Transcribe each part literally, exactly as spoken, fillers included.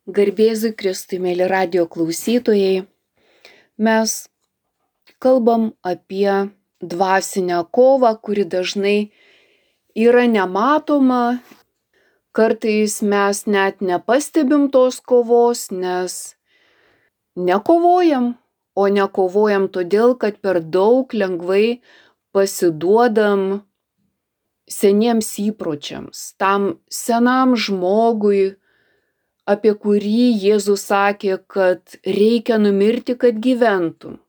Garbėzui Kristui, mėly radijo klausytojai, mes kalbam apie dvasinę kovą, kuri dažnai yra nematoma, kartais mes net nepastebim tos kovos, nes nekovojam, o nekovojam todėl, kad per daug lengvai pasiduodam seniems įpročiams, tam senam žmogui, apie kurį Jėzus sakė, kad reikia numirti, kad gyventum,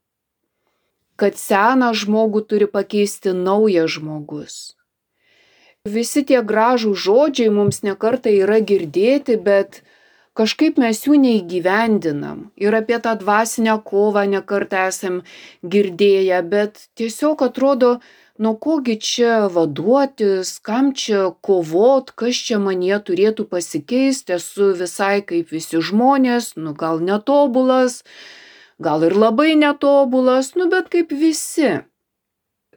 kad seną žmogų turi pakeisti naujas žmogus. Visi tie gražūs žodžiai mums nekartą yra girdėti, bet kažkaip mes jų neįgyvendinam. Ir apie tą dvasinę kovą nekartą esam girdėję, bet tiesiog atrodo, nuo kogi čia vaduotis, kam čia kovot, kas čia manyje turėtų pasikeisti, esu visai kaip visi žmonės, nu gal netobulas, gal ir labai netobulas, nu bet kaip visi.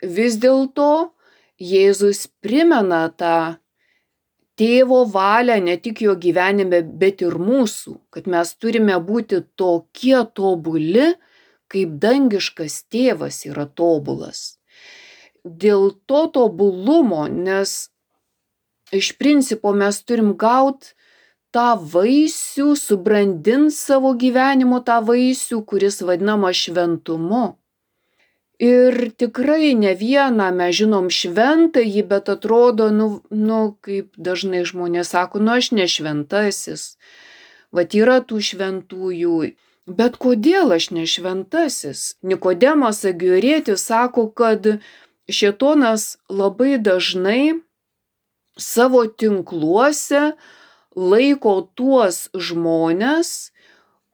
Vis dėlto Jėzus primena tą tėvo valią ne tik jo gyvenime, bet ir mūsų, kad mes turime būti tokie tobuli, kaip dangiškas tėvas yra tobulas. Dėl to tobulumo, nes iš principo mes turim gauti tą vaisių, subrandinti savo gyvenimo tą vaisių, kuris vadinama šventumu. Ir tikrai ne vieną mes žinom šventąjį, bet atrodo, nu, nu, kaip dažnai žmonės sako, nu aš ne šventasis. Vat yra tų šventųjų. Bet kodėl aš ne šventasis? Nikodemas Agiorėtis sako, kad šėtonas labai dažnai savo tinkluose laiko tuos žmones,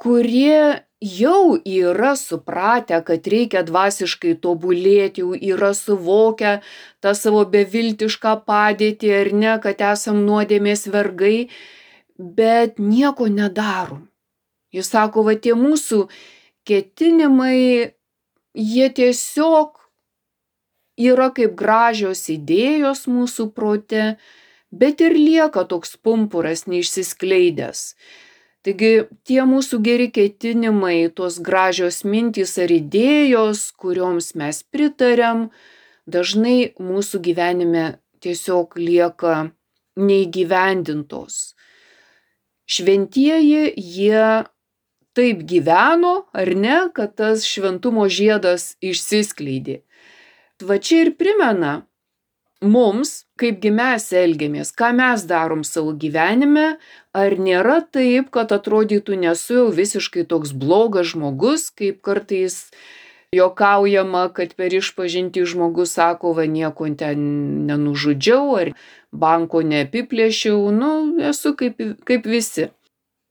kurie jau yra supratę, kad reikia dvasiškai tobulėti, jau yra suvokę tą savo beviltišką padėtį ar ne, kad esam nuodėmės vergai, bet nieko nedarom. Jis sako, va tie mūsų ketinimai, jie tiesiog yra kaip gražios idėjos mūsų prote, bet ir lieka toks pumpuras neišsiskleidęs. Taigi tie mūsų geri ketinimai, tos gražios mintys ar idėjos, kurioms mes pritariam, dažnai mūsų gyvenime tiesiog lieka neįgyvendintos. Šventieji, jie taip gyveno, ar ne, kad tas šventumo žiedas išsiskleidė. Va čia ir primena mums, kaipgi mes elgiamės, ką mes darom savo gyvenime, ar nėra taip, kad atrodytų nesu jau visiškai toks blogas žmogus, kaip kartais juokaujama, kad per išpažintį žmogus sako, va nieko ten nenužudžiau, ar banko neapiplėšiau, nu esu kaip, kaip visi.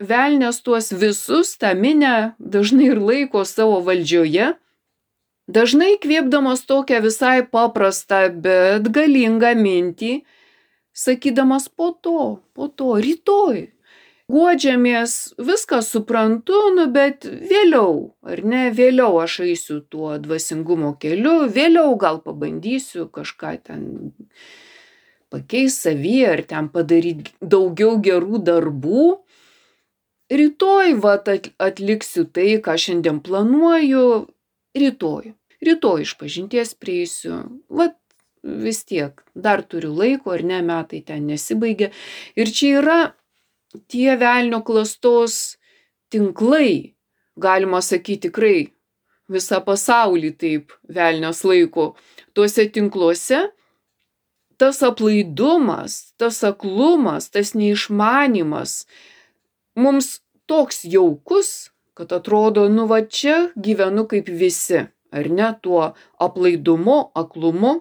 Velnias tuos visus, tą minę, dažnai ir laiko savo valdžioje, dažnai kvėpdamas tokią visai paprastą, bet galingą mintį, sakydamas po to, po to, rytoj. Guodžiamės, viską suprantu, nu bet vėliau, ar ne, vėliau aš eisiu tuo dvasingumo keliu, vėliau gal pabandysiu kažką ten pakeisti savyje, ar ten padaryti daugiau gerų darbų. Rytoj vat atliksiu tai, ką šiandien planuoju, rytoj. Rytoj išpažinties prieisiu, vat vis tiek, dar turiu laiko, ar ne, metai ten nesibaigia. Ir čia yra tie velnio klastos tinklai, galima sakyti tikrai visą pasaulį taip velnias laiko. Tuose tinkluose tas aplaidumas, tas aklumas, tas neišmanimas mums toks jaukus, kad atrodo, nu va čia gyvenu kaip visi. Ar ne, tuo aplaidumu, aklumu.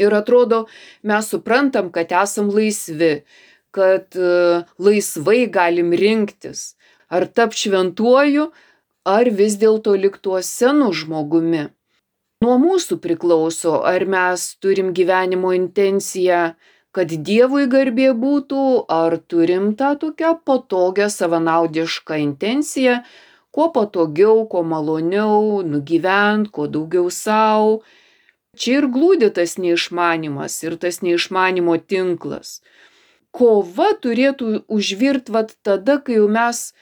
Ir atrodo, mes suprantam, kad esam laisvi, kad uh, laisvai galim rinktis, ar tap šventuoju, ar vis dėlto lik tuo senu žmogumi. Nuo mūsų priklauso, ar mes turim gyvenimo intenciją, kad Dievui garbė būtų, ar turim tą tokią patogią savanaudišką intenciją, kuo patogiau, kuo maloniau, nugyvent, kuo daugiau sau. Čia ir glūdi tas neišmanimas ir tas neišmanimo tinklas. kova turėtų užvirti vat tada, kai jau mes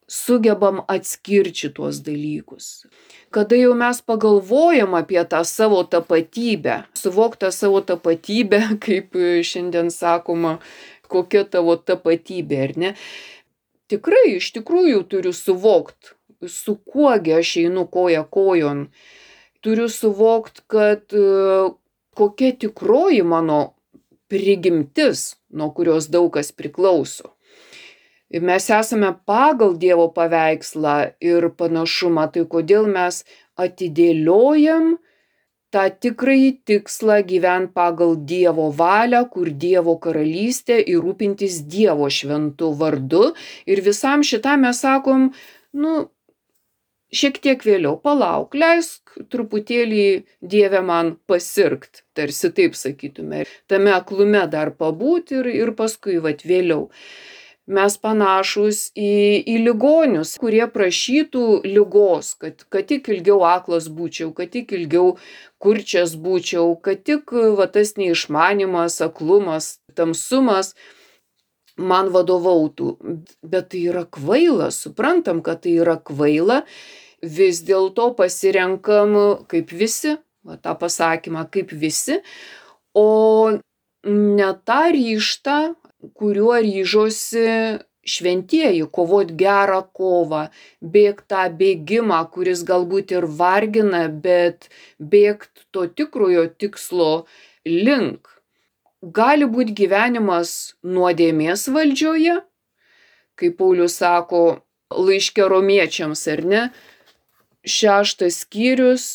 sugebam atskirti tuos dalykus. Kada jau mes pagalvojam apie tą savo tapatybę, suvoktą savo tapatybę, kaip šiandien sakoma, kokia tavo tapatybė, ar ne? Tikrai, iš tikrųjų turiu suvokt, su kuogi aš einu koja kojon. Turiu suvokt, kad kokia tikroji mano prigimtis, nuo kurios daug kas priklauso. Mes esame pagal Dievo paveikslą ir panašumą, tai kodėl mes atidėliojam tą tikrąjį tikslą gyvent pagal Dievo valią, kur Dievo karalystė ir rūpintis Dievo šventu vardu. Ir visam šitam mes sakom, nu, šiek tiek vėliau, palauk, leisk truputėlį Dieve man pasirgt, tarsi taip sakytume, tame aklume dar pabūt ir, ir paskui vat vėliau. Mes panašus į, į ligonius, kurie prašytų ligos, kad, kad tik ilgiau aklas būčiau, kad tik ilgiau kurčias būčiau, kad tik va, tas neišmanimas, aklumas, tamsumas man vadovautų. Bet tai yra kvaila, suprantam, kad tai yra kvaila, vis dėlto pasirenkam kaip visi, va, tą pasakymą kaip visi, o ne tą ryžtą, kuriuo ryžosi šventieji, kovot gerą kovą, bėgt tą bėgimą, kuris galbūt ir vargina, bet bėgt to tikrojo tikslo link. Gali būti gyvenimas nuodėmės valdžioje, kaip Paulius sako laiške romiečiams, ar ne? Šeštas skyrius,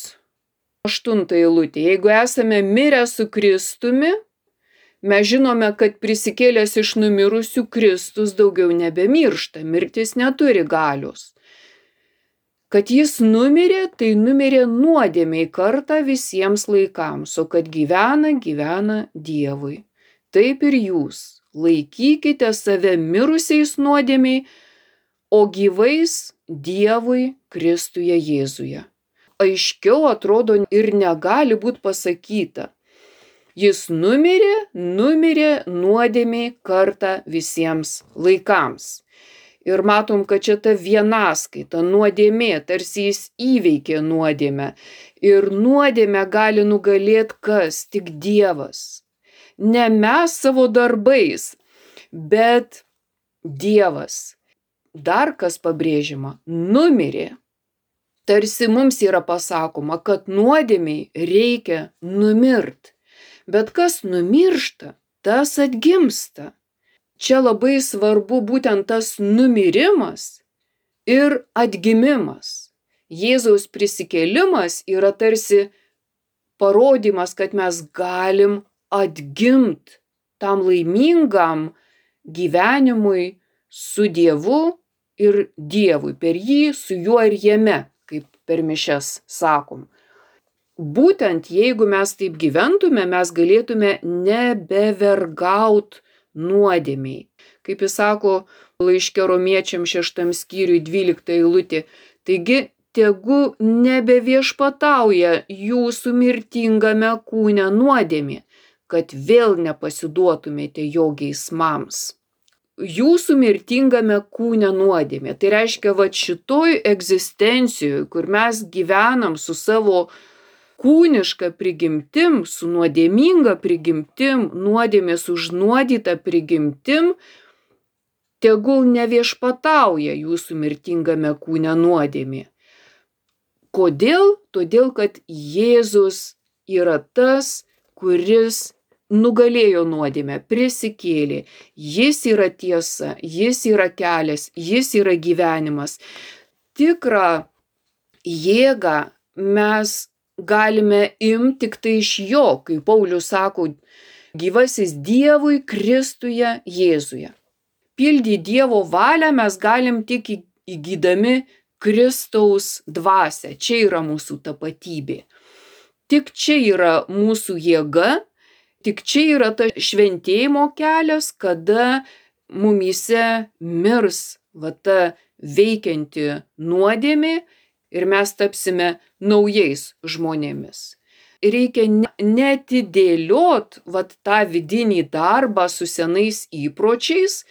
aštunta eilutė. Jeigu esame mirę su Kristumi, mes žinome, kad prisikėlęs iš numirusių Kristus daugiau nebemiršta, mirtis neturi galios. Kad jis numirė, tai numirė nuodėmei kartą visiems laikams, o kad gyvena, gyvena Dievui. Taip ir jūs, laikykite save mirusiais nuodėmei, o gyvais Dievui Kristuje Jėzuje. Aiškiau atrodo ir negali būti pasakyta. Jis numirė, numirė nuodėmei kartą visiems laikams. Ir matom, kad čia ta vienaskaita, nuodėmė, tarsi jis įveikė nuodėmę. Ir nuodėmę gali nugalėti kas? Tik Dievas. Ne mes savo darbais, bet Dievas. Dar kas pabrėžiama? Numirė. Tarsi mums yra pasakoma, kad nuodėmei reikia numirt. Bet kas numiršta, tas atgimsta. Čia labai svarbu būtent tas numirimas ir atgimimas. Jėzaus prisikėlimas yra tarsi parodymas, kad mes galim atgimt tam laimingam gyvenimui su Dievu ir Dievui, per jį, su juo ir jame, kaip per mišias sakom. Būtent jeigu mes taip gyventume, mes galėtume nebevergaut nuodėmei. Kaip jis sako laiške romiečiam šeštam skyriui dvylikta eilutė, taigi tegu nebeviešpatauja jūsų mirtingame kūne nuodėmė, kad vėl nepasiduotumėte jo geismams. Jūsų mirtingame kūne nuodėmė. Tai reiškia, va šitoj egzistencijoje, kur mes gyvenam su savo kūniška prigimtim, su nuodėminga prigimtim, nuodėmės užnuodyta prigimtim, tegul neviešpatauja jūsų mirtingame kūne nuodėmė. Kodėl? Todėl, kad Jėzus yra tas, kuris nugalėjo nuodėmę, prisikėlė. Jis yra tiesa, jis yra kelias, jis yra gyvenimas. Tikrą jėgą mes galime imti tik tai iš jo, kaip Paulius sako, gyvasis Dievui Kristuje Jėzuje. Pildyti Dievo valią mes galim tik įgydami Kristaus dvasią. Čia yra mūsų tapatybė. Tik čia yra mūsų jėga, tik čia yra ta šventėjimo kelias, kada mumyse mirs va ta veikianti nuodėmė ir mes tapsime naujais žmonėmis. reikia neatidėliot vat tą vidinį darbą su senais įpročiais,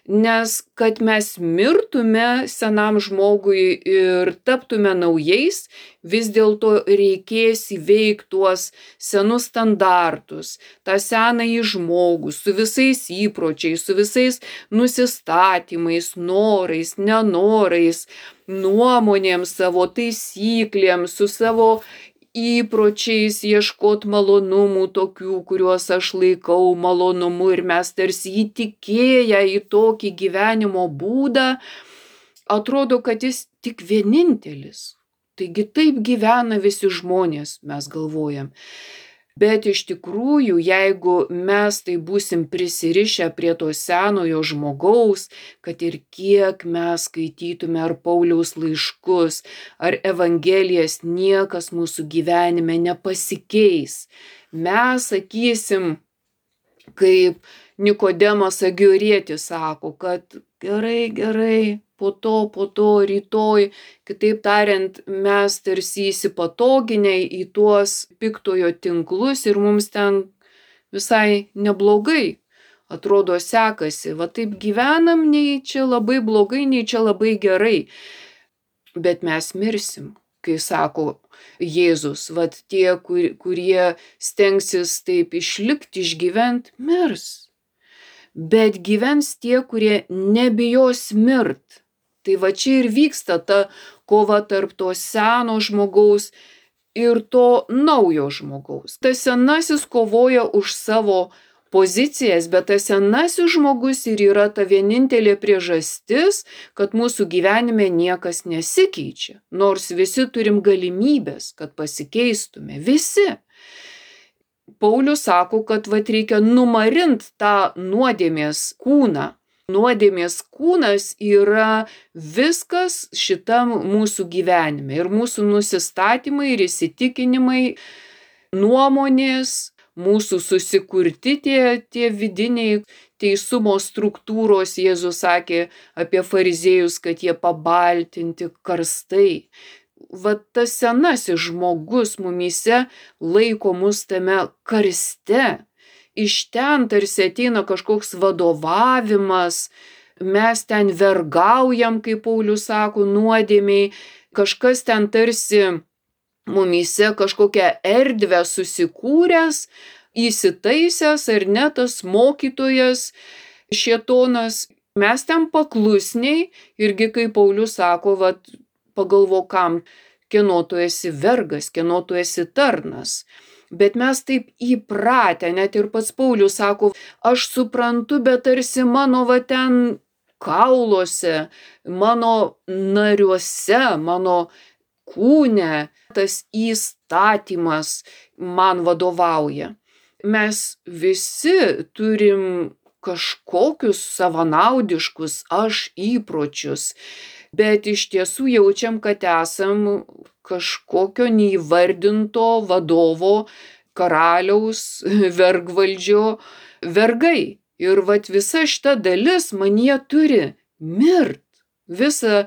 nes kad mes mirtume senam žmogui ir taptume naujais, vis dėlto reikės įveikti tuos senus standartus, tą senąjį žmogų su visais įpročiais, su visais nusistatymais, norais, nenorais, nuomonėm savo, taisyklėm, su savo įpročiais ieškot malonumų tokių, kuriuos aš laikau malonumu ir mes tarsi įtikėję į tokį gyvenimo būdą, atrodo, kad jis tik vienintelis. Taigi taip gyvena visi žmonės, mes galvojam. Bet iš tikrųjų, jeigu mes tai būsim prisirišę prie to senojo žmogaus, kad ir kiek mes skaitytume ar Pauliaus laiškus, ar Evangelijas, niekas mūsų gyvenime nepasikeis. Mes sakysim, kaip Nikodemas Agiorietis sako, kad gerai, gerai, po to, po to, rytoj, kitaip tariant, mes tarsi įsipatoginę į tuos piktojo tinklus ir mums ten visai neblogai, atrodo, sekasi. Va taip gyvenam, nei čia labai blogai, nei čia labai gerai. Bet mes mirsim, kai sako Jėzus, vat tie, kur, kurie stengsis taip išlikti, išgyvent, mirs. Bet gyvens tie, kurie nebijos mirt. Tai va čia ir vyksta ta kova tarp to seno žmogaus ir to naujo žmogaus. Tas senasis kovoja už savo pozicijas, bet tas senasis žmogus ir yra ta vienintelė priežastis, kad mūsų gyvenime niekas nesikeičia. Nors visi turim galimybės, kad pasikeistume. Visi. Paulius sako, kad vat reikia numarint tą nuodėmės kūną. Nuodėmės kūnas yra viskas šitam mūsų gyvenime. Ir mūsų nusistatymai ir įsitikinimai, nuomonės, mūsų susikurti tie, tie vidiniai teisumo struktūros. Jėzus sakė apie fariziejus, kad jie pabaltinti karstai. Vat tas senasis žmogus mumyse laiko mus tame karste. Iš ten tarsi ateina kažkoks vadovavimas, mes ten vergaujam, kaip Paulius sako, nuodėmiai, kažkas ten tarsi mumyse kažkokią erdvę susikūręs, įsitaisęs ar ne tas mokytojas, šėtonas, mes ten paklusniai, irgi kaip Paulius sako, vat, pagalvok, kam, kieno tu esi vergas, kieno tu esi tarnas. Bet mes taip įpratę, net ir pats Paulius sako, aš suprantu, bet tarsi mano va ten kauluose, mano nariuose, mano kūne tas įstatymas man vadovauja. Mes visi turim kažkokius savanaudiškus aš įpročius, bet iš tiesų jaučiam, kad esam kažkokio neįvardinto vadovo, karaliaus, vergvaldžio vergai. Ir vat visa šita dalis manyje turi mirt. Visa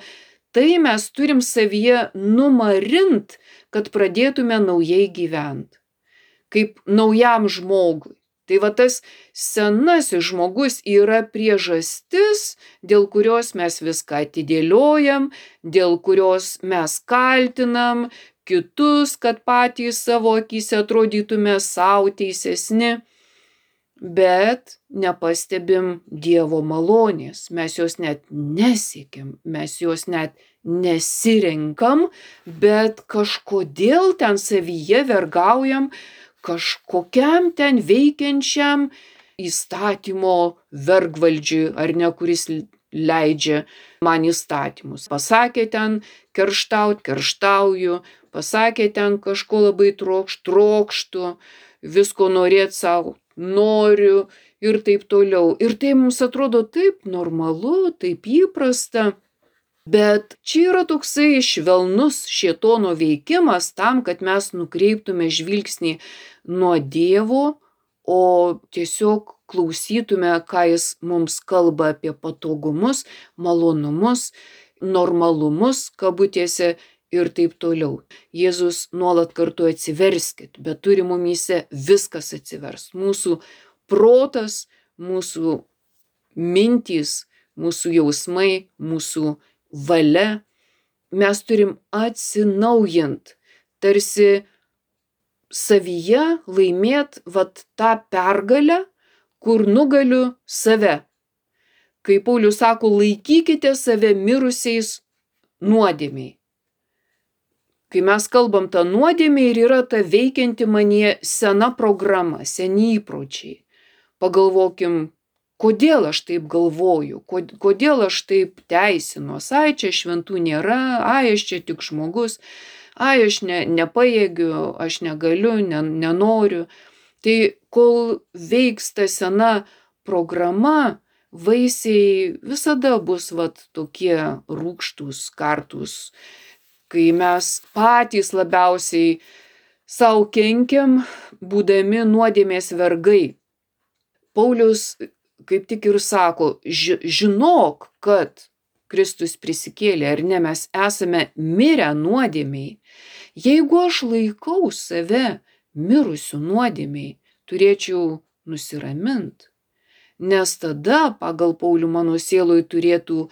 tai mes turim savyje numarint, kad pradėtume naujai gyventi. Kaip naujam žmogui. Tai va tas senasis žmogus yra priežastis, dėl kurios mes viską atidėliojam, dėl kurios mes kaltinam kitus, kad patys savo akyse atrodytume sau teisesni, bet nepastebim Dievo malonės, mes jos net nesiekiam, mes jos net nesirenkam, bet kažkodėl ten savyje vergaujam kažkokiam ten veikiančiam įstatymo vergvaldžiui, ar ne, kuris leidžia man įstatymus. Pasakė ten kerštaut, kerštauju, pasakė ten kažko labai trokšt, trokštu, visko norėt savo, noriu ir taip toliau. Ir tai mums atrodo taip normalu, taip įprasta. Bet čia yra toksai švelnus šėtono veikimas tam, kad mes nukreiptume žvilgsnį nuo Dievo, o tiesiog klausytume, ką jis mums kalba apie patogumus, malonumus, normalumus, kabutėse, ir taip toliau. Jėzus nuolat kartu atsiverskit, bet turi mumyse viskas atsivers. Mūsų protas, mūsų mintys, mūsų jausmai, mūsų valia. Mes turim atsinaujint, tarsi savyje laimėt vat tą pergalę, kur nugaliu save. Kai Paulius sako, laikykite save mirusiais nuodėmiai. Kai mes kalbam tą nuodėmę ir yra ta veikianti manyje sena programa, seni įpročiai. Pagalvokim, kodėl aš taip galvoju, kodėl aš taip teisinuos, ai čia šventų nėra, ai aš čia tik žmogus, ai aš ne, nepajėgiu, aš negaliu, ne, nenoriu. Tai kol veiks ta sena programa, vaisiai visada bus vat tokie rūgštūs, kartūs, kai mes patys labiausiai sau kenkiam, būdami nuodėmės vergai. Paulius kaip tik ir sako, žinok, kad Kristus prisikėlė, ar ne, mes esame mirę nuodėmiai. Jeigu aš laikau save mirusių nuodėmiai, turėčiau nusiramint, nes tada pagal Paulių mano sieloj turėtų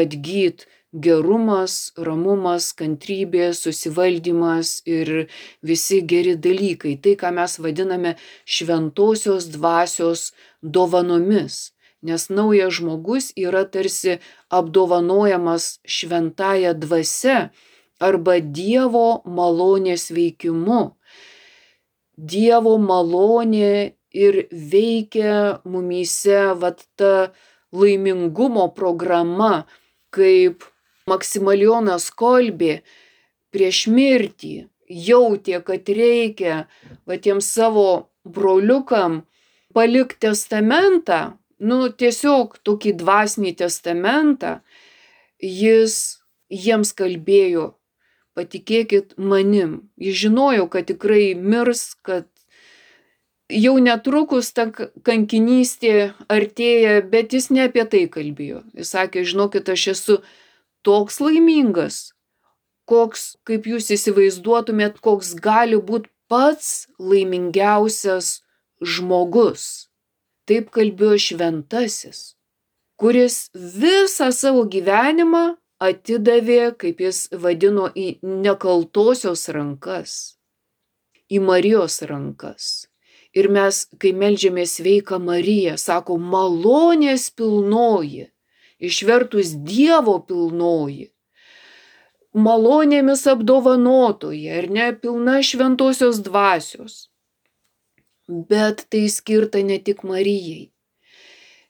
atgyt gerumas, ramumas, kantrybė, susivaldymas ir visi geri dalykai. Tai, ką mes vadiname šventosios dvasios dovanomis. Nes naujas žmogus yra tarsi apdovanojamas šventąja dvasia arba Dievo malonės veikimu. Dievo malonė ir veikia mumyse vat ta laimingumo programa, kaip Maksimilijonas Kolbė prieš mirtį jautė, kad reikia va tiem savo broliukam palikti testamentą, nu tiesiog tokį dvasinį testamentą, jis jiems kalbėjo, patikėkit manim. Jis žinojo, kad tikrai mirs, kad jau netrukus ta kankinystė artėja, bet jis ne apie tai kalbėjo. Jis sakė, žinokit, aš esu toks laimingas, koks, kaip jūs įsivaizduotumėt, koks gali būti pats laimingiausias žmogus. Taip kalbėjo šventasis, kuris visą savo gyvenimą atidavė, kaip jis vadino, į nekaltosios rankas, į Marijos rankas. Ir mes, kai meldžiamės sveika Marija, sako malonės pilnoji, išvertus Dievo pilnoji, malonėmis apdovanotoji, ar ne, pilna šventosios dvasios. Bet tai skirta ne tik Marijai.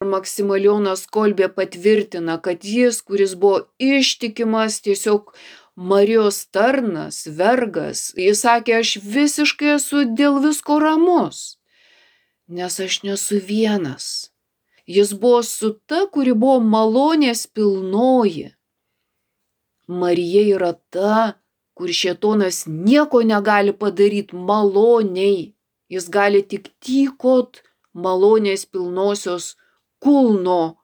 Maksimilijonas Kolbė patvirtina, kad jis, kuris buvo ištikimas tiesiog Marijos tarnas, vergas, jis sakė, aš visiškai esu dėl visko ramus, nes aš nesu vienas. Jis buvo su ta, kuri buvo malonės pilnoji. Marija yra ta, kur šėtonas nieko negali padaryti maloniai. Jis gali tik tykot malonės pilnosios kulno.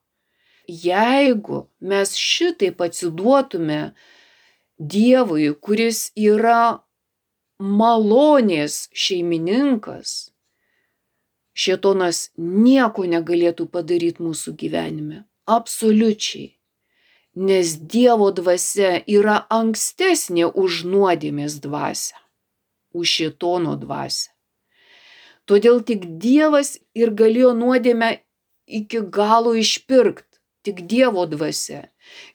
Jeigu mes šitaip atsiduotume Dievui, kuris yra malonės šeimininkas, šėtonas nieko negalėtų padaryti mūsų gyvenime. Absoliučiai. Nes Dievo dvasia yra ankstesnė už nuodėmės dvasią, už šėtono dvasią. Todėl tik Dievas ir galėjo nuodėmę iki galo išpirkt, tik Dievo dvasia.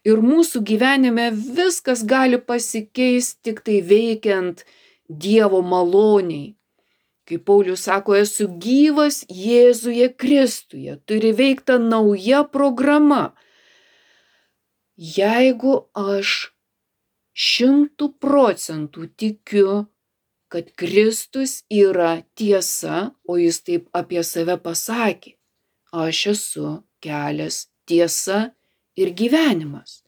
Ir mūsų gyvenime viskas gali pasikeisti tik tai veikiant Dievo maloniai. Kaip Paulius sako, esu gyvas Jėzuje Kristuje, turi veikta nauja programa. Jeigu aš šimtų procentų tikiu, kad Kristus yra tiesa, o jis taip apie save pasakė, aš esu kelias, tiesa ir gyvenimas.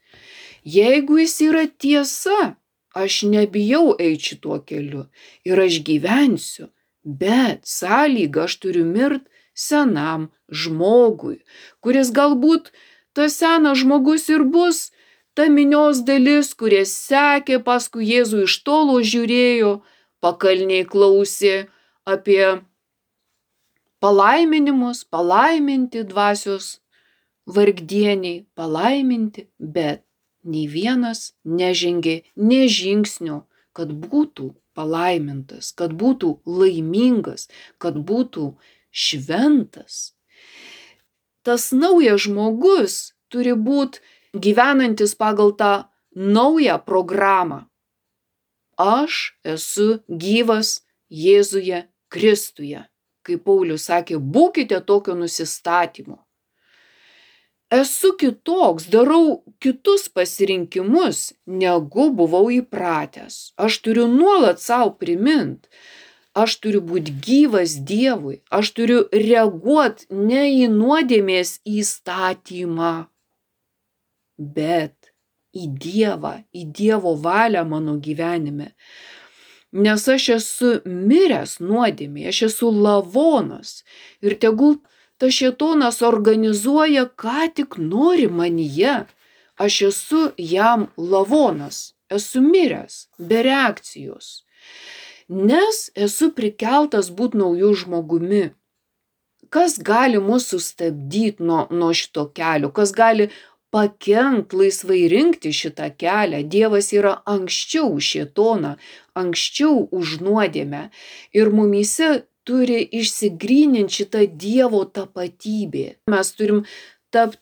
Jeigu jis yra tiesa, aš nebijau eiti šituo keliu ir aš gyvensiu, bet sąlygą aš turiu mirt senam žmogui, kuris galbūt tas senas žmogus ir bus ta minios dalis, kurie sekė paskui Jėzų iš tolo žiūrėjo, pakalniai klausė apie palaiminimus, palaiminti dvasios vargdieniai, palaiminti, bet nei vienas nežengė nė žingsnio, kad būtų palaimintas, kad būtų laimingas, kad būtų šventas. Tas naujas žmogus turi būti gyvenantis pagal tą naują programą. Aš esu gyvas Jėzuje Kristuje. Kaip Paulius sakė, būkite tokio nusistatymo. Esu kitoks, darau kitus pasirinkimus, negu buvau įpratęs. Aš turiu nuolat savo primint. Aš turiu būti gyvas Dievui. Aš turiu reaguoti ne į nuodėmės įstatymą, bet į Dievą, į Dievo valią mano gyvenime. Nes aš esu miręs nuodėmėje, aš esu lavonas. Ir tegul tas šėtonas organizuoja, ką tik nori manyje. Aš esu jam lavonas, esu miręs, be reakcijos. Nes esu prikeltas būti naujų žmogumi. Kas gali mus sustabdyti nuo, nuo šito kelio? Kas gali pakenkt laisvai rinkti šitą kelią? Dievas yra anksčiau už šėtoną, anksčiau už nuodėmę. Ir mumyse turi išsigryninti šitą Dievo tapatybę. Mes turim tapti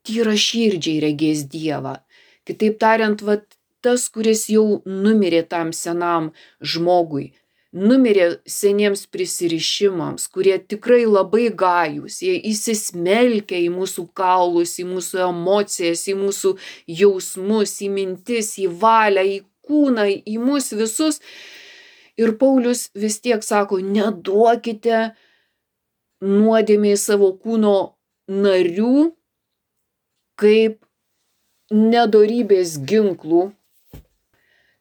tyraširdžiai regės Dievą. Kitaip tariant, vat, tas, kuris jau numirė tam senam žmogui, numirė seniems prisirišimams, kurie tikrai labai gajūs, jie įsismelkia į mūsų kaulus, į mūsų emocijas, į mūsų jausmus, į mintis, į valią, į kūną, į mus visus. Ir Paulius vis tiek sako, neduokite nuodėmei savo kūno narių kaip nedorybės ginklų.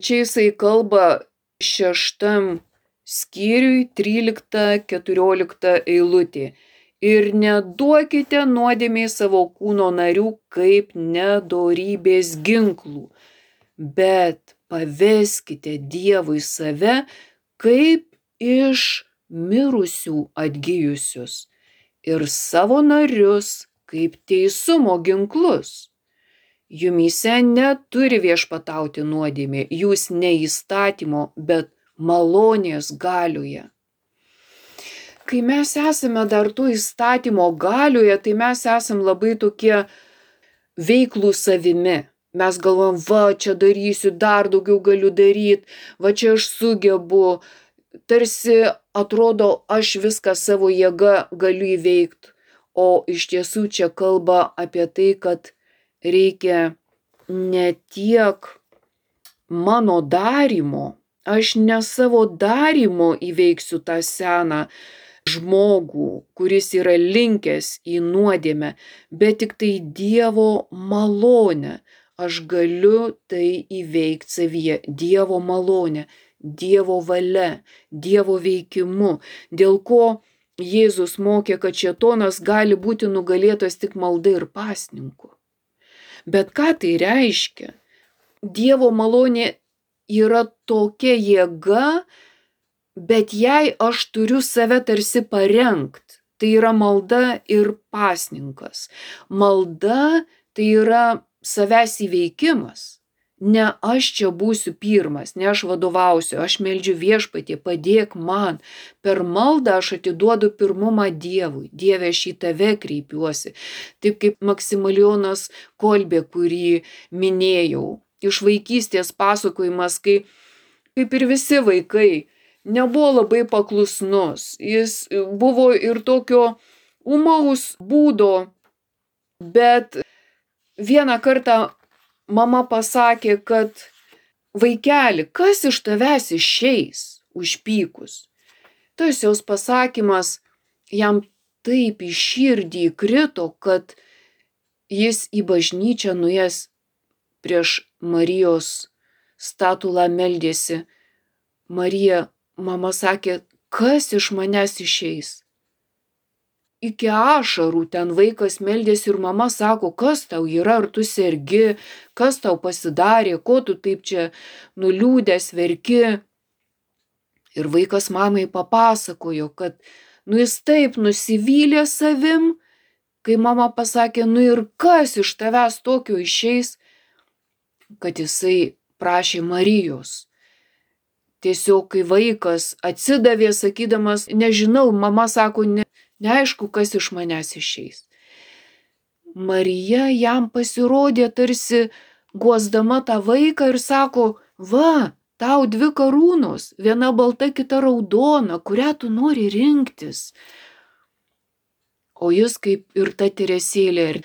Čia jisai kalba šeštam skyriui, trylikta keturiolikta eilutė. Ir neduokite nuodėmei savo kūno narių kaip nedorybės ginklų, bet paveskite Dievui save kaip iš mirusių atgijusius ir savo narius kaip teisumo ginklus. Jumyse neturi viešpatauti nuodėmė, jūs ne įstatymo, bet malonės galioje. Kai mes esame dar to įstatymo galioje, tai mes esame labai tokie veiklų savimi. Mes galvom, va, čia darysiu, dar daugiau galiu daryti, va, čia aš sugebu. Tarsi atrodo, aš viską savo jėga galiu įveikti. O iš tiesų čia kalba apie tai, kad reikia ne tiek mano darymo, aš ne savo darymo įveiksiu tą seną žmogų, kuris yra linkęs į nuodėmę, bet tik tai Dievo malonę. Aš galiu tai įveikti savyje, Dievo malonę, Dievo valia, Dievo veikimu, dėl ko Jėzus mokė, kad šėtonas gali būti nugalėtas tik malda ir pasninku. Bet ką tai reiškia? Dievo malonė yra tokia jėga, bet jei aš turiu save tarsi parengt, tai yra malda ir pasninkas. Malda tai yra savęs įveikimas. Ne aš čia būsiu pirmas, ne aš vadovausiu, aš meldžiu Viešpatie, padėk man. Per maldą aš atiduodu pirmumą Dievui. Dieve, aš į tave kreipiuosi. Taip kaip Maksimilijonas Kolbė, kurį minėjau. Iš vaikystės pasakojimas, kai kaip ir visi vaikai, nebuvo labai paklusnus. Jis buvo ir tokio ūmaus būdo, bet vieną kartą mama pasakė, kad vaikeli, kas iš tavęs išeis užpykus? Tas jos pasakymas jam taip į širdį įkrito, kad jis į bažnyčią nuėjęs prieš Marijos statulą meldėsi. Marija, mama sakė, kas iš manęs išeis? iki ašarų ten vaikas meldėsi ir mama sako, kas tau yra, ar tu sergi, kas tau pasidarė, ko tu taip čia nuliūdęs verki. Ir vaikas mamai papasakojo, kad nu jis taip nusivylė savim, kai mama pasakė, nu ir kas iš tavęs tokio išeis, kad jisai prašė Marijos. Tiesiog, kai vaikas atsidavė, sakydamas, nežinau, mama sako, ne, neaišku, kas iš manęs išeis. Marija jam pasirodė tarsi guosdama tą vaiką ir sako, va, tau dvi karūnos, viena balta, kita raudona, kurią tu nori rinktis. O jis kaip ir ta Teresėlė,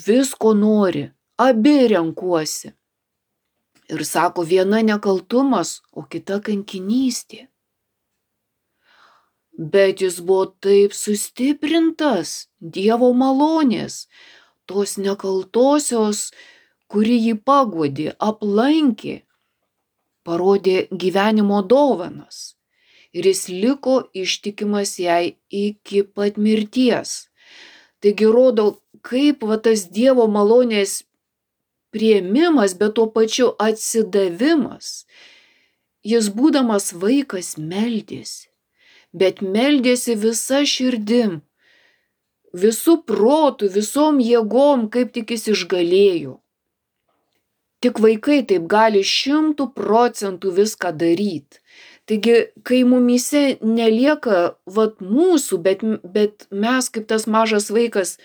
visko nori, abi renkuosi. Ir sako, viena nekaltumas, o kita kankinystė. Bet jis buvo taip sustiprintas Dievo malonės, tos nekaltosios, kuri jį paguodė, aplankė, parodė gyvenimo dovanas. Ir jis liko ištikimas jai iki pat mirties. Taigi rodo, kaip va tas Dievo malonės priėmimas, bet tuo pačiu atsidavimas. Jis būdamas vaikas meldėsi, bet meldėsi visa širdim, visų protų, visom jėgom, kaip tik jis išgalėjo. Tik vaikai taip gali šimtų procentų viską daryti. Taigi, kai mumyse nelieka vat mūsų, bet, bet mes kaip tas mažas vaikas,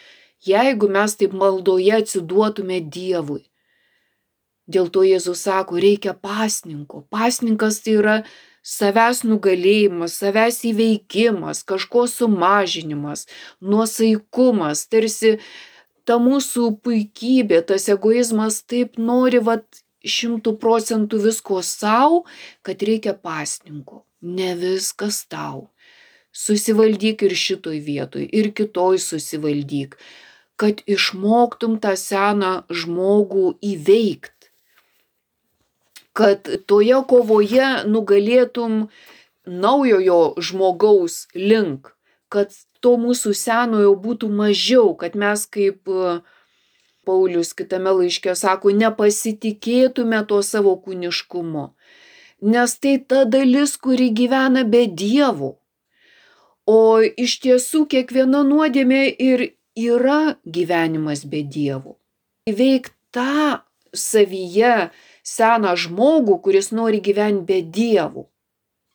jeigu mes taip maldoje atsiduotume Dievui. Dėl to Jėzus sako, reikia pasninko. Pasninkas tai yra savęs nugalėjimas, savęs įveikimas, kažko sumažinimas, nuosaikumas, tarsi ta mūsų puikybė, tas egoizmas taip nori vat šimtų procentų visko savo, kad reikia pasninko. Ne viskas tau. Susivaldyk ir šitoj vietoj, ir kitoj susivaldyk, kad išmoktum tą seną žmogų įveikti. Kad toje kovoje nugalėtum naujojo žmogaus link, kad to mūsų senojo būtų mažiau, kad mes kaip Paulius kitame laiške sako, nepasitikėtume to savo kūniškumu, nes tai ta dalis, kuri gyvena be Dievo. O iš tiesų kiekviena nuodėmė ir yra gyvenimas be Dievo. Įveik tą savyje seną žmogų, kuris nori gyventi be Dievo.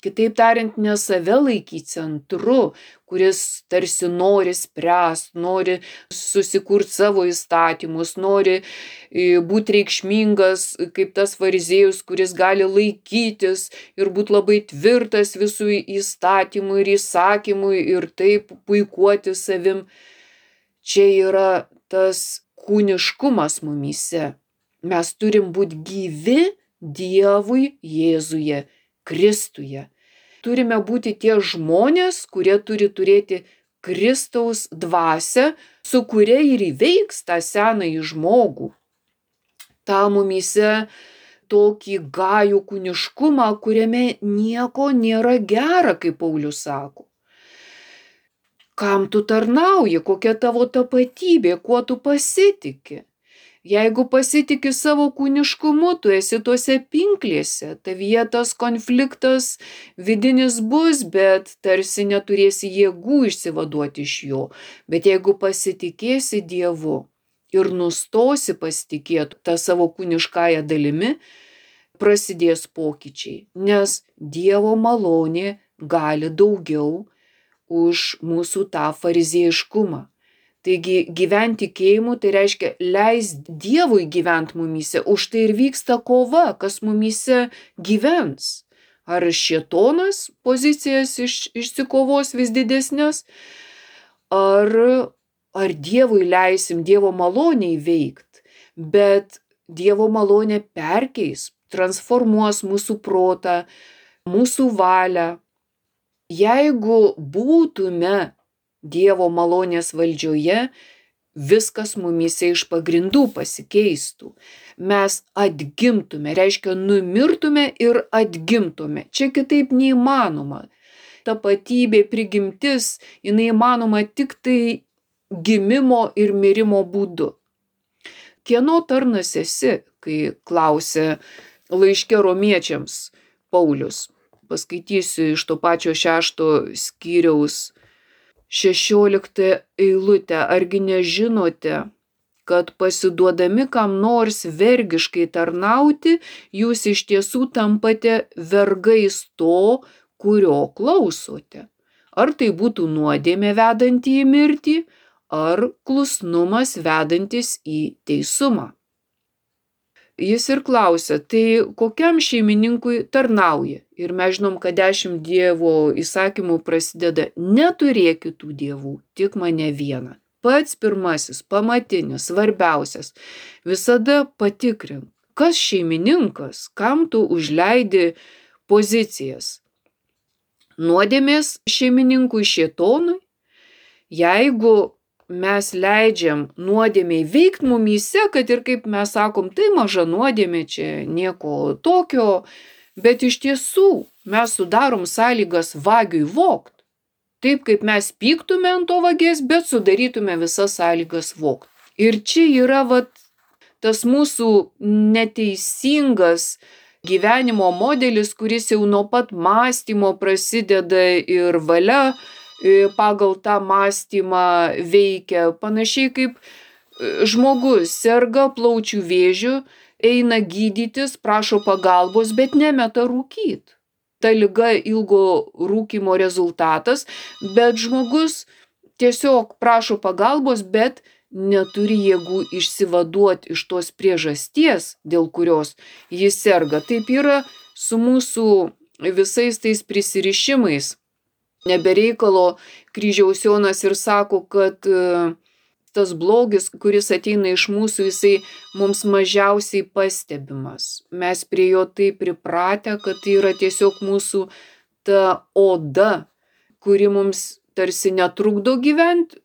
Kitaip tariant, ne save laikyti centru, kuris tarsi nori spręst, nori susikurti savo įstatymus, nori būti reikšmingas kaip tas fariziejus, kuris gali laikytis ir būti labai tvirtas visų įstatymų ir įsakymų ir taip puikuoti savim. Čia yra tas kūniškumas mumyse. Mes turim būti gyvi Dievui Jėzuje, Kristuje. Turime būti tie žmonės, kurie turi turėti Kristaus dvasią, su kuria ir įveiks tą senąjį žmogų. Ta mumyse tokį gajų kūniškumą, kuriame nieko nėra gera, kaip Paulius sako. Kam tu tarnauji, kokia tavo tapatybė, kuo tu pasitiki? Jeigu pasitiki savo kūniškumu, tu esi tuose pinklėse, tavyje tas konfliktas vidinis bus, bet tarsi neturėsi jėgų išsivaduoti iš jo. Bet jeigu pasitikėsi Dievu ir nustosi pasitikėti tą savo kūniškąją dalimi, prasidės pokyčiai, nes Dievo malonė gali daugiau už mūsų tą fariziejiškumą. Taigi gyventi tikėjimu, tai reiškia leis Dievui gyventi mumyse, už tai ir vyksta kova, kas mumyse gyvens. Ar šėtonas pozicijas iš, išsikovos vis didesnės, ar, ar Dievui leisim Dievo malonę įveikti, bet Dievo malonė perkeis, transformuos mūsų protą, mūsų valią. Jeigu būtume Dievo malonės valdžioje, viskas mumyse iš pagrindų pasikeistų. Mes atgimtume, reiškia numirtume ir atgimtume. Čia kitaip neįmanoma. tapatybė, prigimtis, jinai įmanoma tik tai gimimo ir mirimo būdu. Kieno tarnas esi, kai klausė laiške romiečiams Paulius? Paskaitysiu iš to pačio šešto skyriaus šešioliktą eilutę. Argi nežinote, kad pasiduodami kam nors vergiškai tarnauti, jūs iš tiesų tampate vergais to, kurio klausote? Ar tai būtų nuodėmė vedanti į mirtį, ar klusnumas vedantis į teisumą? Jis ir klausia, tai kokiam šeimininkui tarnauja? Ir mes žinom, kad dešimt Dievo įsakymų prasideda: neturėk kitų dievų, tik mane vieną. Pats pirmasis, pamatinis, svarbiausias. Visada patikrink, kas šeimininkas, kam tu užleidi pozicijas. Nuodėmės šeimininkui šėtonui? Jeigu mes leidžiam nuodėmei veikt mumyse, kad ir kaip mes sakom, tai maža nuodėmė, čia nieko tokio, bet iš tiesų mes sudarom sąlygas vagiui vogt. Taip kaip mes pyktume ant to vagės, bet sudarytume visas sąlygas vogt. Ir čia yra vat, tas mūsų neteisingas gyvenimo modelis, kuris jau nuo pat mąstymo prasideda ir valia pagal tą mąstymą veikia. Panašiai kaip žmogus serga plaučių vėžiu, eina gydytis, prašo pagalbos, bet nemeta rūkyt. Ta liga ilgo rūkymo rezultatas, bet žmogus tiesiog prašo pagalbos, bet neturi jėgų išsivaduoti iš tos priežasties, dėl kurios jis serga. Taip yra su mūsų visais tais prisirišimais. Nebereikalo kryžiaus Jonas ir sako, kad tas blogis, kuris ateina iš mūsų, jisai mums mažiausiai pastebimas. Mes prie jo taip pripratę, kad tai yra tiesiog mūsų ta oda, kuri mums tarsi netrukdo gyventi,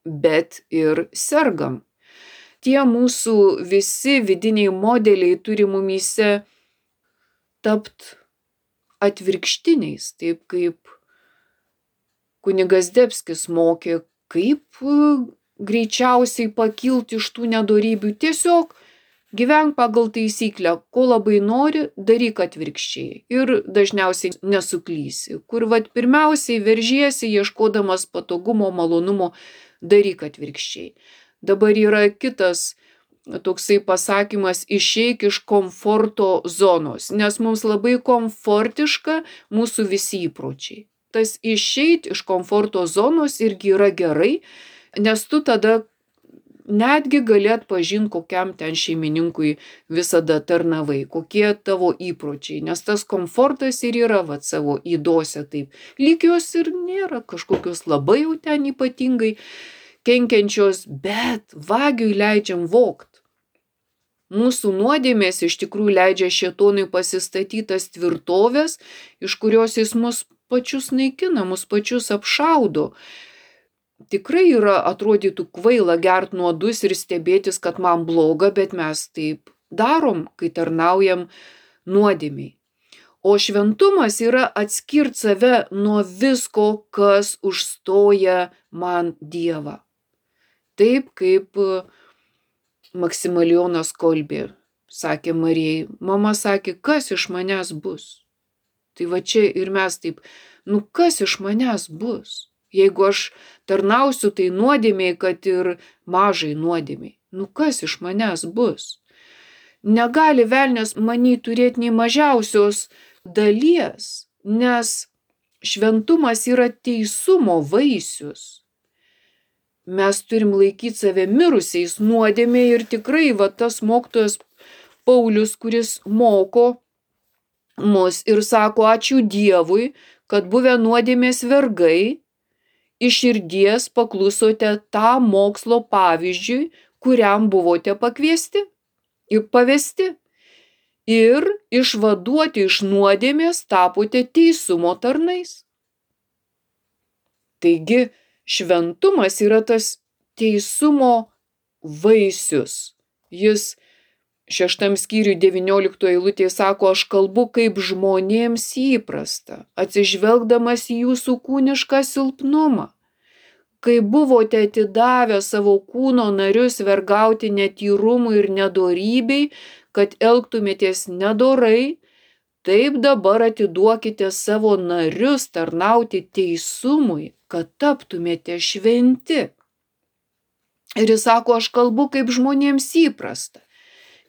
bet ir sergam. Tie mūsų visi vidiniai modeliai turi mumyse tapt atvirkštiniais, taip kaip kunigas Debskis mokė, kaip greičiausiai pakilti iš tų nedorybių. Tiesiog gyvenk pagal taisyklę, ko labai nori, daryk atvirkščiai. Ir dažniausiai nesuklysi. Kur vat pirmiausiai veržiesi, ieškodamas patogumo, malonumo, daryk atvirkščiai. Dabar yra kitas toksai pasakymas: išeik iš komforto zonos, nes mums labai komfortiška mūsų visi įpročiai. Tas išeit iš komforto zonos irgi yra gerai, nes tu tada netgi gali atpažinti, kokiam ten šeimininkui visada tarnavai, kokie tavo įpročiai, nes tas komfortas ir yra vat savo ydose taip. Lyg jos ir nėra kažkokios labai jau ten ypatingai kenkiančios, bet vagiui leidžiam vogt. Mūsų nuodėmės iš tikrųjų leidžia šėtonui pasistatytas tvirtovės, iš kurios jis mus pačius naikina, mus pačius apšaudo. Tikrai yra, atrodytų kvaila gert nuodus ir stebėtis, kad man bloga, bet mes taip darom, kai tarnaujam nuodėmei. O šventumas yra atskirt save nuo visko, kas užstoja man Dievą. Taip kaip Maksimilijonas Kolbė sakė Marijai, mama sakė, kas iš manęs bus? Tai va čia ir mes taip, nu kas iš manęs bus? Jeigu aš tarnausiu tai nuodėmiai, kad ir mažai nuodėmiai, nu kas iš manęs bus? Negali velnias many turėti nei mažiausios dalies, nes šventumas yra teisumo vaisius. Mes turim laikyti save mirusiais nuodėmė ir tikrai va tas mokytojas Paulius, kuris moko mus ir sako, ačiū Dievui, kad buvę nuodėmės vergai, iš širdies paklusote tą mokslo pavyzdžiui, kuriam buvote pakviesti ir pavesti. Ir išvaduoti iš nuodėmės tapote teisumo tarnais. Taigi, šventumas yra tas teisumo vaisius. Jis šeštam skyriui devynioliktoje eilutėje sako, aš kalbu kaip žmonėms įprasta, atsižvelgdamas į jūsų kūnišką silpnumą. Kai buvote atidavę savo kūno narius vergauti netyrumui ir nedorybei, kad elgtumėtės nedorai, taip dabar atiduokite savo narius tarnauti teisumui, kad taptumėte šventi. Ir jis sako, aš kalbu kaip žmonėms įprasta.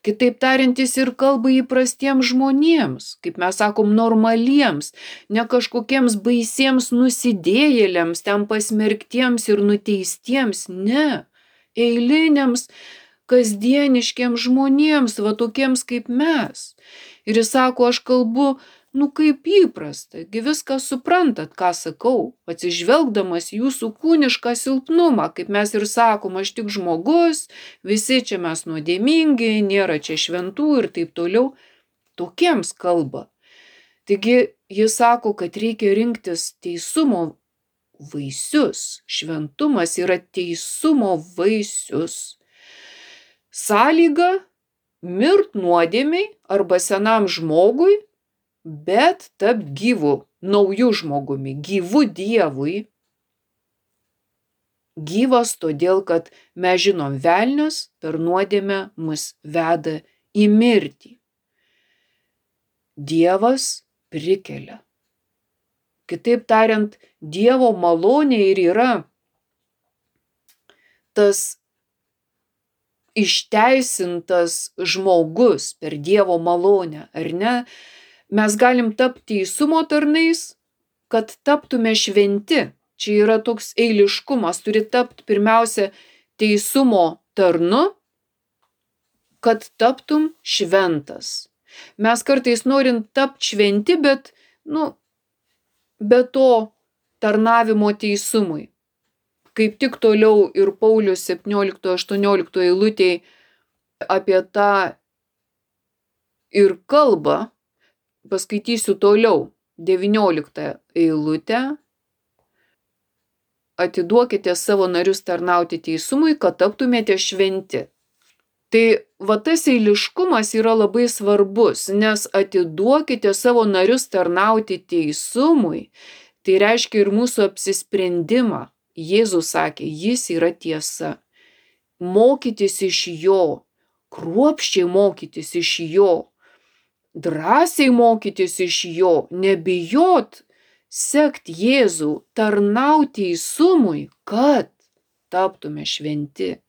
Kitaip tariant, jis ir kalba įprastiems žmonėms, kaip mes sakom, normaliems, ne kažkokiems baisiems nusidėjėliams, ten pasmerktiems ir nuteistiems, ne, eiliniams, kasdieniškiams žmonėms, va tokiems kaip mes. Ir jis sako, aš kalbu, nu kaip įprasta, gi viską suprantat, ką sakau, atsižvelgdamas jūsų kūnišką silpnumą, kaip mes ir sakom, aš tik žmogus, visi čia mes nuodėmingi, nėra čia šventų ir taip toliau, tokiems kalba. Taigi jis sako, kad reikia rinktis teisumo vaisius, šventumas yra teisumo vaisius. Sąlyga mirt nuodėmiai arba senam žmogui, bet tap gyvu, nauju žmogumi, gyvu Dievui. Gyvas todėl, kad mes žinom, velnias per nuodėmę mus veda į mirtį. Dievas prikelia. Kitaip tariant, Dievo malonė ir yra tas išteisintas žmogus per Dievo malonę, ar ne? Mes galim tapti teisumo tarnais, kad taptume šventi. Čia yra toks eiliškumas, turi tapti pirmiausia teisumo tarnu, kad taptum šventas. Mes kartais norim tapti šventi, bet, nu, be to tarnavimo teisumui. Kaip tik toliau ir Paulius septynioliktoje aštuonioliktoje eilutėje apie tą ir kalba. Paskaitysiu toliau, devynioliktą eilutę. Atiduokite savo narius tarnauti teisumui, kad taptumėte šventi. Tai va tas eiliškumas yra labai svarbus, nes atiduokite savo narius tarnauti teisumui, tai reiškia ir mūsų apsisprendimą. Jėzus sakė, jis yra tiesa. Mokytis iš jo, kruopščiai mokytis iš jo, drąsiai mokytis iš jo, nebijot, sekt Jėzų, tarnauti teisumui, kad taptume šventi.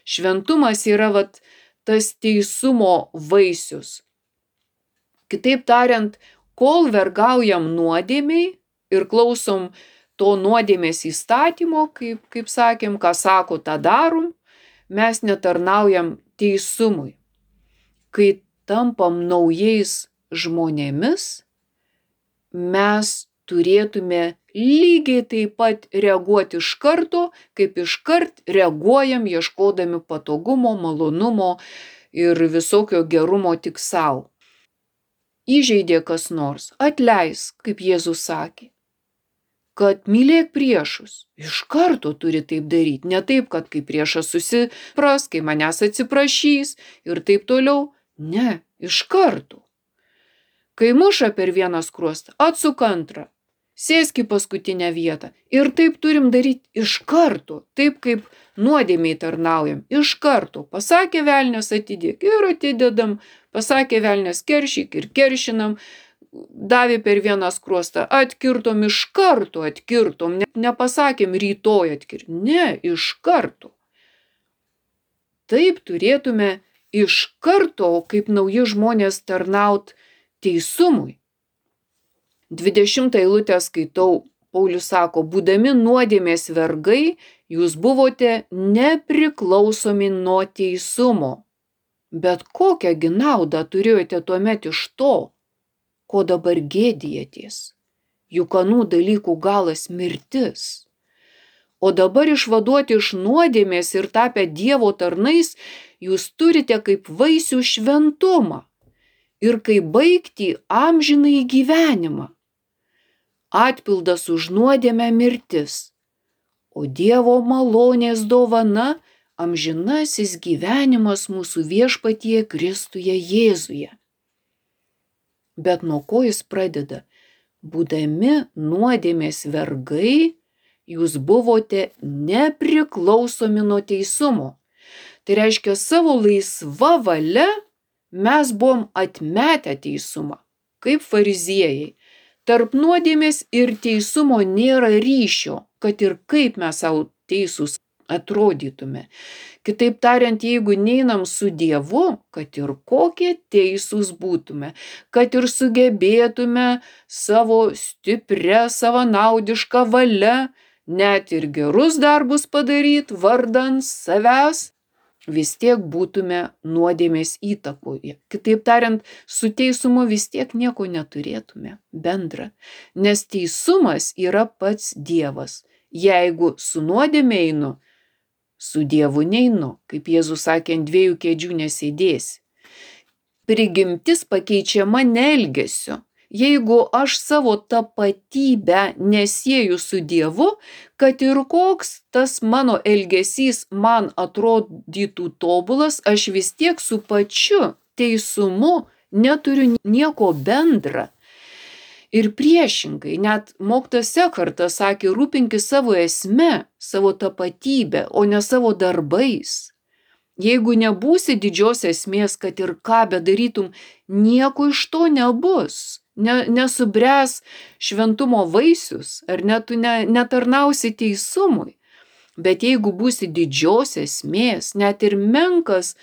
Šventumas yra vat, tas teisumo vaisius. Kitaip tariant, kol vergaujam nuodėmiai ir klausom to nuodėmės įstatymo, kaip, kaip sakėm, ką sako, tą darom, mes netarnaujam teisumui. Kai tampam naujais žmonėmis, mes turėtume lygiai taip pat reaguoti iš karto, kaip iškart reaguojam ieškodami patogumo, malonumo ir visokio gerumo tik savo. Įžeidė kas nors, atleisk, kaip Jėzus sakė. Kad mylėk priešus, iš karto turi taip daryti, ne taip, kad kai priešas susipras, kai manęs atsiprašys ir taip toliau. Ne, iš karto. Kai muša per vieną skruostą, atsuk antrą, sėsk į paskutinę vietą. Ir taip turim daryti iš karto, taip kaip nuodėmiai tarnaujam, iš karto. Pasakė velnias atidėk ir atidedam, pasakė velnias keršyk ir keršinam, davė per vieną skruostą, atkirtom iš karto, atkirtom, ne, nepasakėm rytoj atkirti, ne, iš karto. Taip turėtume iš karto, kaip nauji žmonės tarnaut teisumui. dvidešimtą eilutę skaitau, Paulius sako, būdami nuodėmės vergai, jūs buvote nepriklausomi nuo teisumo. Bet kokią gi naudą turėjote tuomet iš to, ko dabar gėdijatės? Juk anų dalykų galas mirtis. O dabar išvaduoti iš nuodėmės ir tapę Dievo tarnais, jūs turite kaip vaisių šventumą ir kaip baigtį amžinąjį gyvenimą. Atpildas už nuodėmę mirtis, o Dievo malonės dovana amžinasis gyvenimas mūsų Viešpatyje Kristuje Jėzuje. Bet nuo ko jis pradeda? Būdami nuodėmės vergai, jūs buvote nepriklausomi nuo teisumo. Tai reiškia, savo laisva valia mes buvom atmetę teisumą, kaip fariziejai. Tarp nuodėmės ir teisumo nėra ryšio, kad ir kaip mes savo teisūs atrodytume. Kitaip tariant, jeigu neinam su Dievu, kad ir kokie teisūs būtume, kad ir sugebėtume savo stiprią, savanaudišką valią, net ir gerus darbus padaryti vardan savęs, vis tiek būtume nuodėmės įtakoje. Kitaip tariant, su teisumu vis tiek nieko neturėtume bendra, nes teisumas yra pats Dievas. Jeigu su nuodėme einu, su Dievu neinu, kaip Jėzus sakė, ant dviejų kėdžių nesėdėsi. Prigimtis pakeičiama ne elgesiu. Jeigu aš savo tapatybę nesieju su Dievu, kad ir koks tas mano elgesys man atrodytų tobulas, aš vis tiek su pačiu teisumu neturiu nieko bendra. Ir priešingai, net mokytojas Ekhartas sakė, rūpinkis savo esme, savo tapatybę, o ne savo darbais. Jeigu nebūsi didžios esmės, kad ir ką bedarytum, nieko iš to nebus. Ne, nesubręs šventumo vaisius, ar net tu ne, netarnausi teisumui. Bet jeigu būsi didžios esmės, net ir menkas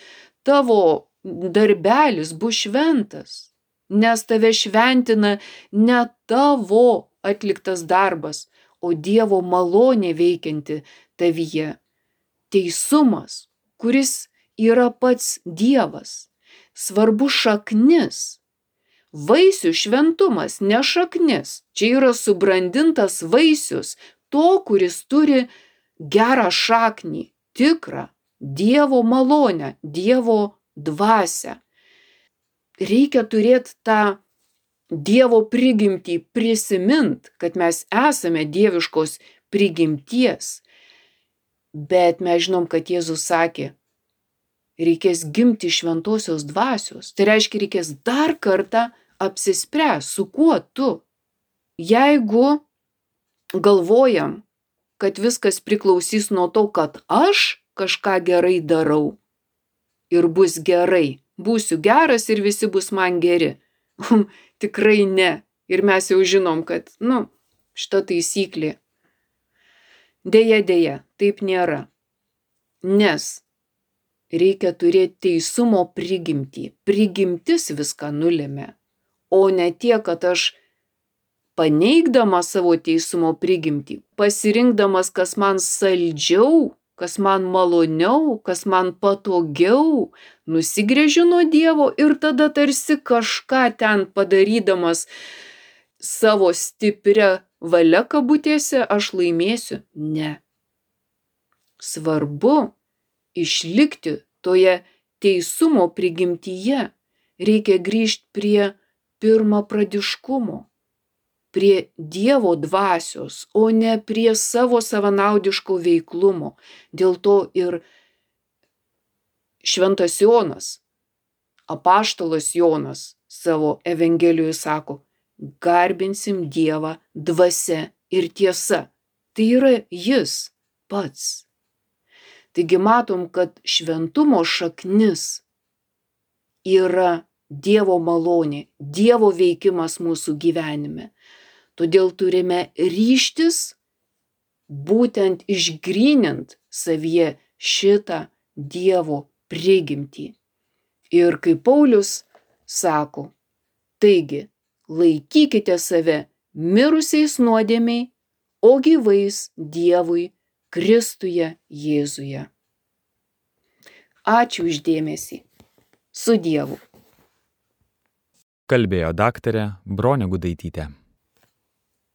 tavo darbelis bus šventas. Nes tave šventina ne tavo atliktas darbas, o Dievo malonė veikianti tavyje. Teisumas, kuris yra pats Dievas. Svarbu šaknis. Vaisių šventumas, ne šaknis. Čia yra subrandintas vaisius to, kuris turi gerą šaknį, tikrą Dievo malonę, Dievo dvasią. Reikia turėti tą Dievo prigimtį, prisimint, kad mes esame dieviškos prigimties. Bet mes žinom, kad Jėzus sakė, reikės gimti šventosios dvasios. Tai reiškia, reikės dar kartą apsispręs, su kuo tu. Jeigu galvojam, kad viskas priklausys nuo to, kad aš kažką gerai darau ir bus gerai, būsiu geras ir visi bus man geri. Tikrai ne. Ir mes jau žinom, kad, nu, šita taisyklė. Deja, deja, taip nėra. Nes reikia turėti teisumo prigimtį. Prigimtis viską nulėmė. O ne tiek, kad aš paneigdamas savo teisumo prigimtį, pasirinkdamas, kas man saldžiau, kas man maloniau, kas man patogiau, nusigręžiu nuo Dievo ir tada tarsi kažką ten padarydamas savo stiprią valią kabutėse aš laimėsiu. Ne. Svarbu išlikti toje teisumo prigimtyje. Reikia grįžti prie pirmapradiškumo, prie Dievo dvasios, o ne prie savo savanaudiško veiklumo. Dėl to ir šventas Jonas, apaštalas Jonas savo evangelijoje sako, garbinsim Dievą dvasia ir tiesa. Tai yra jis pats. Taigi matom, kad šventumo šaknis yra Dievo malonė, Dievo veikimas mūsų gyvenime. Todėl turime ryžtis būtent išgrynint savyje šitą Dievo prigimtį. Ir kaip Paulius sako, taigi laikykite save mirusiais nuodėmiai, o gyvais Dievui Kristuje Jėzuje. Ačiū už dėmesį. Su Dievu. Kalbėjo daktarė Bronė Gudaitytė.